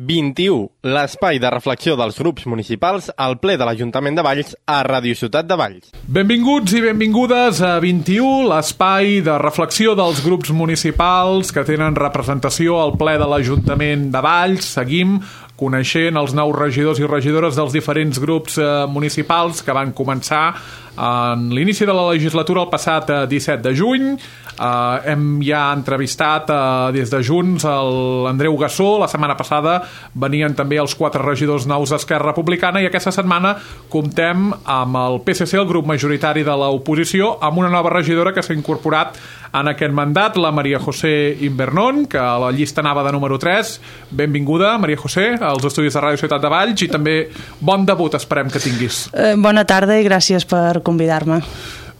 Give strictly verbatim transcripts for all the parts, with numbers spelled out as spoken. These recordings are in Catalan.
vint-i-u, l'espai de reflexió dels grups municipals al ple de l'Ajuntament de Valls a Ràdio Ciutat de Valls. Benvinguts i benvingudes a vint-i-u, l'espai de reflexió dels grups municipals que tenen representació al ple de l'Ajuntament de Valls. Seguim coneixent els nous regidors i regidores dels diferents grups eh, municipals que van començar en l'inici de la legislatura el passat eh, disset de juny. Uh, hem ja entrevistat uh, des de Junts l'Andreu Gassó. La setmana passada venien també els quatre regidors nous d'Esquerra Republicana i aquesta setmana comptem amb el P S C, el grup majoritari de l'oposició, amb una nova regidora que s'ha incorporat en aquest mandat, la Maria José Invernón, que a la llista anava de número tres. Benvinguda, Maria José, als estudis de Ràdio Ciutat de Valls, i també bon debut esperem que tinguis. Eh, bona tarda i gràcies per convidar-me.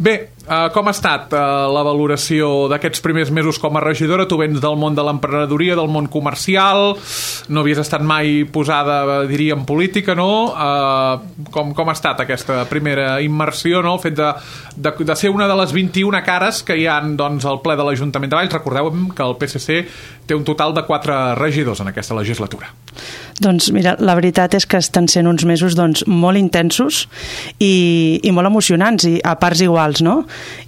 Bé, uh, com ha estat uh, la valoració d'aquests primers mesos com a regidora? Tu vens del món de l'emprenedoria, del món comercial, no havies estat mai posada, diria, en política, no? Uh, com, com ha estat aquesta primera immersió, no? El fet de, de, de ser una de les vint-i-una cares que hi ha, doncs, al ple de l'Ajuntament de Valls. Recordeu que el P S C té un total de quatre regidors en aquesta legislatura. Doncs mira, la veritat és que estan sent uns mesos doncs, molt intensos i, i molt emocionants, i a parts iguals, no?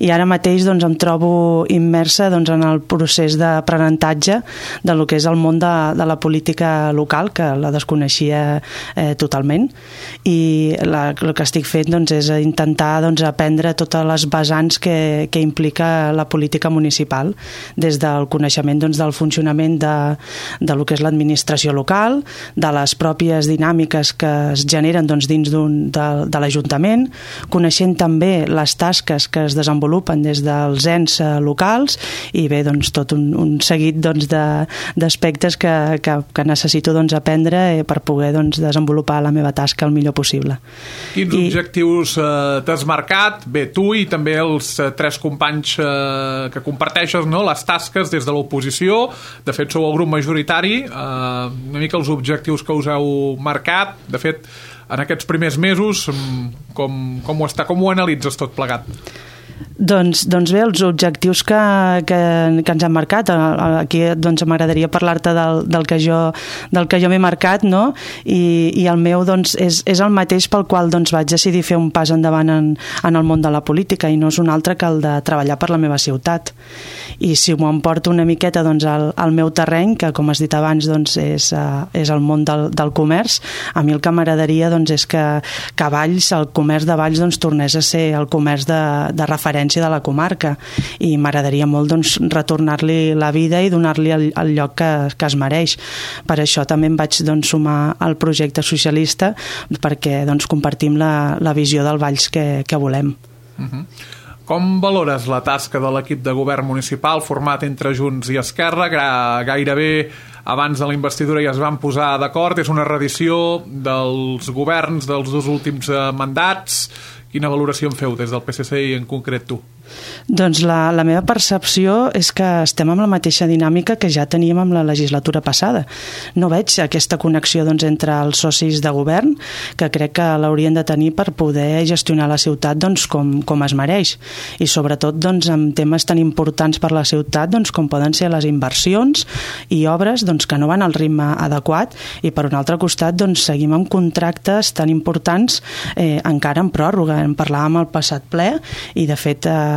I ara mateix doncs, em trobo immersa doncs, en el procés d'aprenentatge de lo que és el món de, de la política local, que la desconeixia eh, totalment, i la, el que estic fent doncs, és intentar doncs, aprendre totes les vessants que, que implica la política municipal, des del coneixement doncs, del funcionament de, de lo que és l'administració local, de les pròpies dinàmiques que es generen doncs, dins d'un, de, de l'Ajuntament, coneixent també les tasques que es desenvolupen des dels ens locals, i bé, doncs, tot un, un seguit doncs, de, d'aspectes que, que, que necessito doncs, aprendre per poder doncs, desenvolupar la meva tasca el millor possible. Quins I... objectius eh, t'has marcat? Bé, tu i també els eh, tres companys eh, que comparteixes, no?, les tasques des de l'oposició. De fet, sou el grup majoritari. Eh, una mica els objectius que us heu marcat. De fet, en aquests primers mesos, com, com ho està, com ho analitzes tot plegat? Doncs, doncs bé, els objectius que, que, que ens han marcat, aquí doncs m'agradaria parlar-te del, del que jo, del que jo m'he marcat, no? I, i el meu doncs, és, és el mateix pel qual doncs, vaig decidir fer un pas endavant en, en el món de la política, i no és un altre que el de treballar per la meva ciutat. I si m'ho emporto una miqueta doncs, al, al meu terreny, que com has dit abans doncs, és, uh, és el món del, del comerç, a mi el que m'agradaria doncs, és que, que Valls, el comerç de Valls doncs, tornés a ser el comerç de, de referència de la comarca, i m'agradaria molt doncs, retornar-li la vida i donar-li el, el lloc que, que es mereix. Per això també em vaig doncs, sumar al projecte socialista, perquè doncs, compartim la, la visió del Valls que, que volem. Uh-huh. Com valores la tasca de l'equip de govern municipal format entre Junts i Esquerra? Gairebé abans de la investidura ja es van posar d'acord, és una reedició dels governs dels dos últims mandats. Quina valoració en feu des del P S C i en concret tu? Doncs la, la meva percepció és que estem amb la mateixa dinàmica que ja teníem amb la legislatura passada. No veig aquesta connexió doncs, entre els socis de govern, que crec que l'haurien de tenir per poder gestionar la ciutat doncs, com, com es mereix, i sobretot doncs, amb temes tan importants per la ciutat doncs, com poden ser les inversions i obres doncs, que no van al ritme adequat, i per un altre costat doncs, seguim amb contractes tan importants eh, encara en pròrroga. En parlàvem al passat ple, i de fet eh,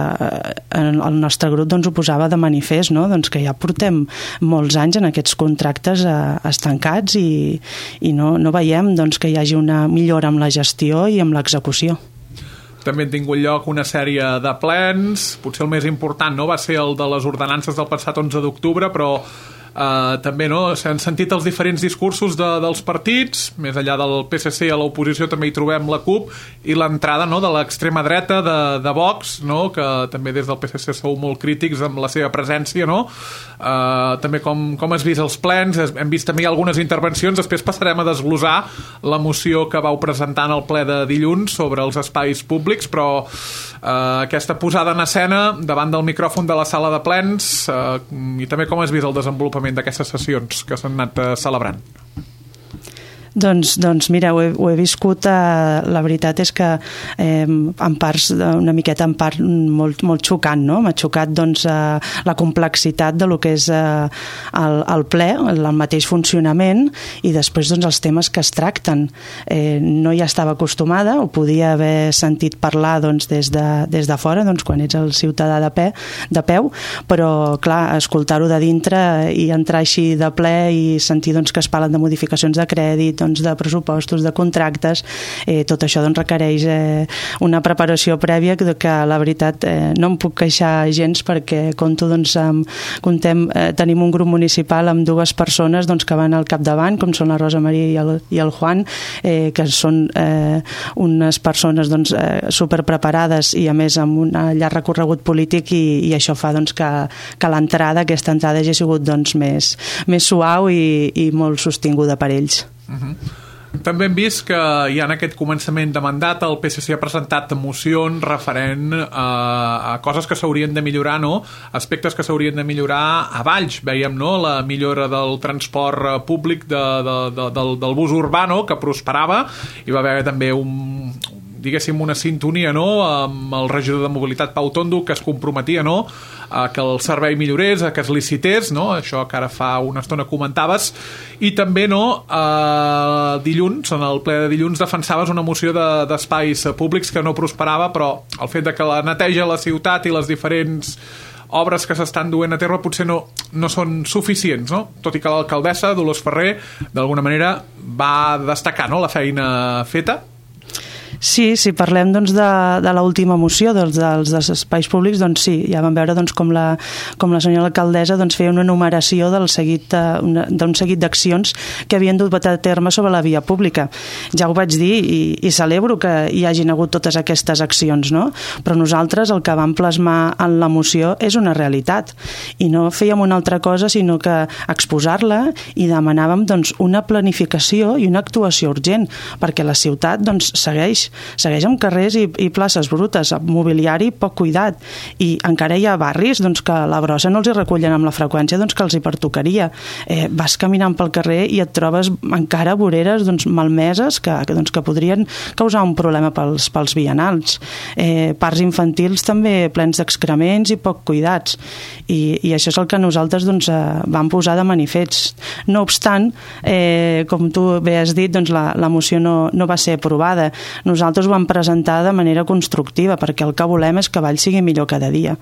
el nostre grup doncs, ho posava de manifest, no? Doncs que ja portem molts anys en aquests contractes eh, estancats, i, i no, no veiem doncs, que hi hagi una millora amb la gestió i amb l'execució. També han tingut lloc una sèrie de plens, potser el més important no va ser el de les ordenances del passat onze d'octubre, però Uh, també no, s'han sentit els diferents discursos de, dels partits, més enllà del P S C a l'oposició també hi trobem la CUP i l'entrada no, de l'extrema dreta de, de Vox, no, que també des del P S C sou molt crítics amb la seva presència, no? Uh, també com, com has vist els plens, hem vist també algunes intervencions, després passarem a desglosar la moció que vau presentar en el ple de dilluns sobre els espais públics, però uh, aquesta posada en escena davant del micròfon de la sala de plens, uh, i també com has vist el desenvolupament d'aquestes sessions que s'han anat uh, celebrant? Doncs, doncs mira, ho he, ho he viscut, eh, la veritat és que eh, en parts, una miqueta en part molt, molt xocant, no? M'ha xocat doncs, eh, la complexitat de lo que és eh, el, el ple, el, el mateix funcionament i després doncs, els temes que es tracten. Eh, no hi estava acostumada, ho podia haver sentit parlar doncs, des, de, des de fora, doncs, quan ets el ciutadà de, pe, de peu, però clar, escoltar-ho de dintre i entrar així de ple i sentir doncs, que es parlen de modificacions de crèdit, doncs, de pressupostos, de contractes, eh, tot això doncs, requereix eh, una preparació prèvia que, que la veritat eh, no em puc queixar gens perquè compto, doncs, amb, contem, eh, tenim un grup municipal amb dues persones doncs, que van al capdavant, com són la Rosa Maria i el, i el Juan, eh, que són eh, unes persones doncs, eh, superpreparades i a més amb un llarg recorregut polític i, i això fa doncs, que, que l'entrada, aquesta entrada hagi sigut doncs, més, més suau i, i molt sostinguda per ells. Uh-huh. També hem vist que ja en aquest començament de mandat el P S C ha presentat mocions referent a, a coses que s'haurien de millorar, no? Aspectes que s'haurien de millorar a Valls. Veiem, no?, la millora del transport públic de, de, de, del, del bus urbà, no?, que prosperava. Hi va haver també un, diguéssim, una sintonia, no?, amb el regidor de mobilitat Pau Tondo, que es comprometia, no?, a que el servei millorés, a que es licités, no?, això que ara fa una estona comentaves, i també, no?, eh, dilluns, en el ple de dilluns, defensaves una moció de, d'espais públics que no prosperava, però el fet de que la neteja a la ciutat i les diferents obres que s'estan duent a terme potser no, no són suficients, no? Tot i que l'alcaldessa, Dolors Ferrer, d'alguna manera va destacar, no?, la feina feta. Sí, si parlem doncs, de, de l'última moció dels, dels, dels espais públics, doncs sí, ja vam veure doncs, com, la, com la senyora alcaldessa doncs, feia una enumeració del seguit, una, d'un seguit d'accions que havien dut a terme sobre la via pública. Ja ho vaig dir i, i celebro que hi hagin hagut totes aquestes accions, no? Però nosaltres el que vam plasmar en la moció és una realitat i no fèiem una altra cosa sinó que exposar-la i demanàvem doncs, una planificació i una actuació urgent perquè la ciutat doncs, segueix segueix amb carrers i, i places brutes, amb mobiliari poc cuidat i encara hi ha barris doncs, que la brossa no els hi recullen amb la freqüència doncs, que els hi pertocaria. Eh, vas caminant pel carrer i et trobes encara voreres doncs, malmeses que, que, doncs, que podrien causar un problema pels, pels vianants. Eh, parcs infantils també plens d'excrements i poc cuidats i, i això és el que nosaltres doncs, eh, vam posar de manifest. No obstant, eh, com tu bé has dit, doncs, la, la moció no, no va ser aprovada. Nosaltres ho vam presentar de manera constructiva perquè el que volem és que Valls sigui millor cada dia.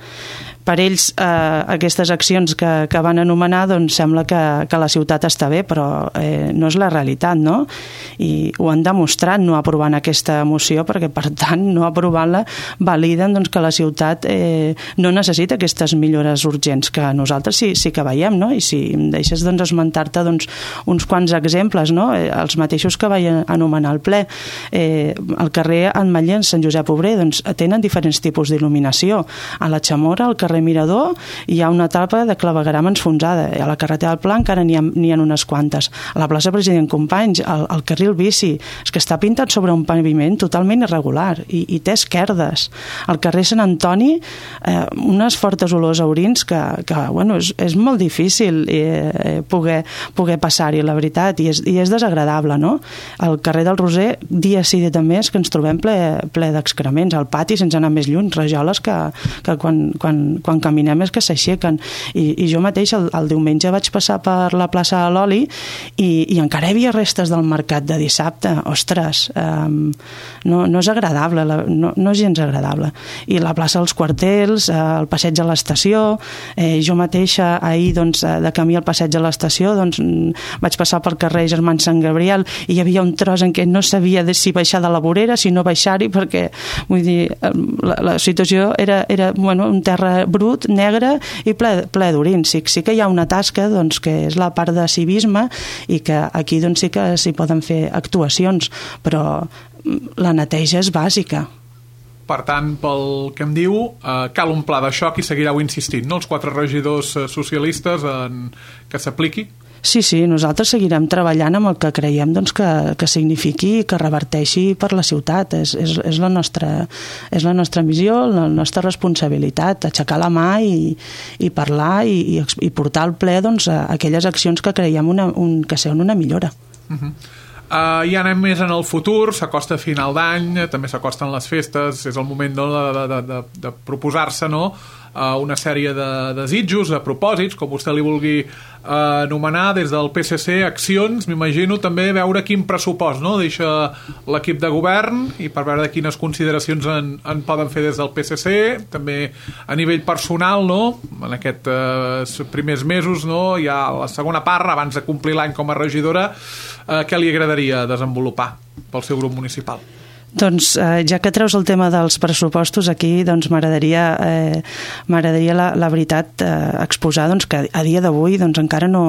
Per ells, eh, aquestes accions que, que van anomenar, doncs sembla que, que la ciutat està bé, però eh, no és la realitat, no? I ho han demostrat no aprovant aquesta moció, perquè, per tant, no aprovant-la validen doncs, que la ciutat eh, no necessita aquestes millores urgents, que nosaltres sí, sí que veiem, no? I si em deixes doncs, esmentar-te doncs, uns quants exemples, no? Eh, els mateixos que vaig anomenar al ple. Eh, al carrer Ametller, en Sant Josep Obrer, doncs, tenen diferents tipus d'il·luminació. A la Chamorra, al carrer Mirador, hi ha una etapa de clavegueram enfonsada. A la carretera del Pla encara n'hi ha, n'hi ha unes quantes. A la plaça President Companys, el, el carril bici, és que està pintat sobre un paviment totalment irregular i, i té esquerdes. Al carrer Sant Antoni, eh, unes fortes olors a orins que, que bueno, és, és molt difícil eh, poder, poder passar-hi, la veritat, i és, i és desagradable, no? Al carrer del Roser, dia sí, dia també, és que ens trobem ple, ple d'excrements. Al pati, sense anar més lluny, rajoles que, que quan, quan quan caminem és que s'aixequen i, i jo mateix el, el diumenge vaig passar per la plaça de l'Oli i, i encara hi havia restes del mercat de dissabte. Ostres, um, no, no és agradable, la, no, no és gens agradable. I la plaça dels Quartels, eh, el passeig a l'estació, eh, jo mateixa ahir doncs, de camí al passeig a l'estació doncs, vaig passar pel carrer Germán Sant Gabriel i hi havia un tros en què no sabia si baixar de la vorera, si no baixar-hi, perquè vull dir, la, la situació era, era bueno, un terra brut, negre i ple, ple d'orins. Sí, sí que hi ha una tasca doncs, que és la part de civisme i que aquí doncs, sí que s'hi poden fer actuacions, però la neteja és bàsica. Per tant, pel que em diu, eh, cal un pla de xoc i seguireu insistint, no? Els quatre regidors socialistes en que s'apliqui? Sí, sí, nosaltres seguirem treballant amb el que creiem doncs, que, que signifiqui i que reverteixi per la ciutat. És, és, és, la nostra, és la nostra missió, la nostra responsabilitat, aixecar la mà i, i parlar i, i, i portar al ple doncs, aquelles accions que creiem una, un, que sean una millora. Uh-huh. Uh, ja anem més en el futur, s'acosta final d'any, també s'acosten les festes, és el moment no, de, de, de, de proposar-se, no?, uh, una sèrie de desitjos, de propòsits, com vostè li vulgui uh, anomenar, des del P S C, accions, m'imagino també veure quin pressupost, no?, deixa l'equip de govern i per veure quines consideracions en, en poden fer des del P S C, també a nivell personal, no?, en aquests uh, primers mesos, no?, ja la segona part, abans de complir l'any com a regidora, uh, què li agradaria desenvolupar pel seu grup municipal? Doncs eh, ja que treus el tema dels pressupostos aquí, doncs m'agradaria eh, m'agradaria la, la veritat eh, exposar doncs, que a dia d'avui doncs, encara no,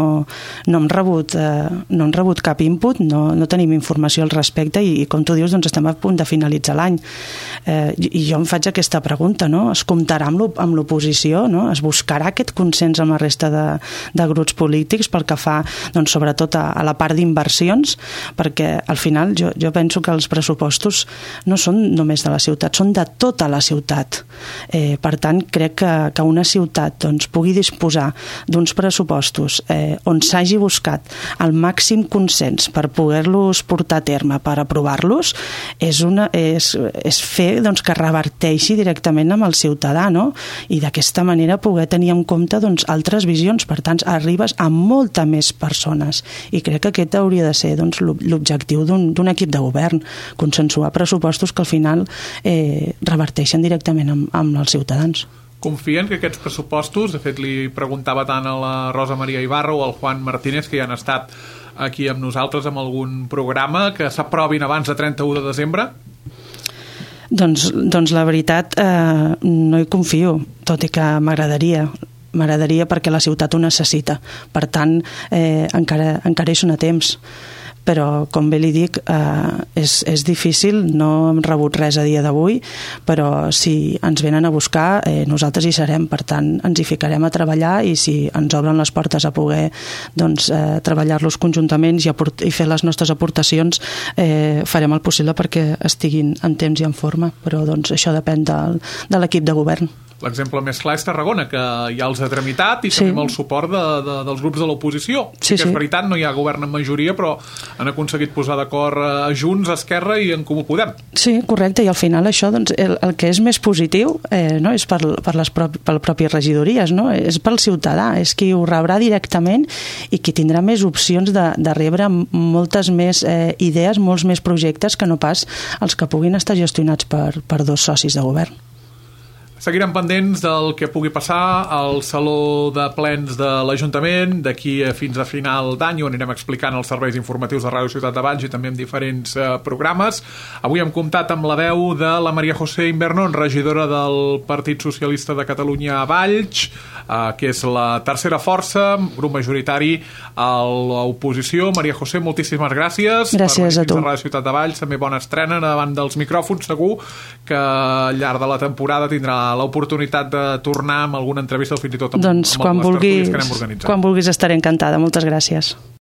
no hem rebut eh, no hem rebut cap input, no, no tenim informació al respecte i, i com tu dius doncs, estem a punt de finalitzar l'any eh, i, i jo em faig aquesta pregunta, no? Es comptarà amb l'oposició, no? Es buscarà aquest consens amb la resta de, de grups polítics pel que fa doncs, sobretot a, a la part d'inversions, perquè al final jo, jo penso que els pressupostos no són només de la ciutat, són de tota la ciutat. Eh, per tant, crec que, que una ciutat doncs, pugui disposar d'uns pressupostos eh, on s'hagi buscat el màxim consens per poder-los portar a terme, per aprovar-los, és, una, és, és fer doncs, que reverteixi directament amb el ciutadà, no? I d'aquesta manera poder tenir en compte doncs, altres visions. Per tant, arribes a molta més persones. I crec que aquest hauria de ser doncs, l'objectiu d'un equip de govern, consensuar pressupostos que al final eh, reverteixen directament amb, amb els ciutadans. Confien que aquests pressupostos, de fet li preguntava tant a la Rosa Maria Ibarra o al Juan Martínez, que ja han estat aquí amb nosaltres en algun programa, que s'aprovin abans de trenta-u de desembre? Doncs, doncs la veritat eh, no hi confio, tot i que m'agradaria m'agradaria perquè la ciutat ho necessita. Per tant, eh, encara, encara hi són a temps. Però, com bé li dic, eh, és, és difícil, no hem rebut res a dia d'avui, però si ens venen a buscar, eh, nosaltres hi serem, per tant, ens hi ficarem a treballar i si ens obren les portes a poder doncs, eh, treballar-los conjuntament i, i fer les nostres aportacions, eh, farem el possible perquè estiguin en temps i en forma, però doncs, això depèn del, de l'equip de govern. L'exemple més clar és Tarragona, que ja els ha tramitat i sí. també amb el suport de, de, dels grups de l'oposició. Sí, que és sí. veritat, no hi ha govern en majoria, però han aconseguit posar d'acord a Junts, a Esquerra i en Comú Podem. Sí, correcte, i al final això, doncs, el, el que és més positiu eh, no, és per, per les propi, per pròpies regidories, no? És pel ciutadà, és qui ho rebrà directament i qui tindrà més opcions de, de rebre moltes més eh, idees, molts més projectes que no pas els que puguin estar gestionats per, per dos socis de govern. Seguirem pendents del que pugui passar al Saló de Plens de l'Ajuntament d'aquí fins a final d'any, on anirem explicant els serveis informatius de Ràdio Ciutat de Valls i també en diferents eh, programes. Avui hem comptat amb la veu de la Maria José Invernon, regidora del Partit Socialista de Catalunya a Valls, eh, que és la tercera força, grup majoritari a l'oposició. Maria José, moltíssimes gràcies. Gràcies a tu. Per Ràdio Ciutat de Valls, també bona estrena davant dels micròfons. Segur que al llarg de la temporada tindrà l'oportunitat de tornar amb alguna entrevista o fins i tot amb, doncs, amb les vulguis, tertúlies que anem organitzant. Quan vulguis estaré encantada. Moltes gràcies.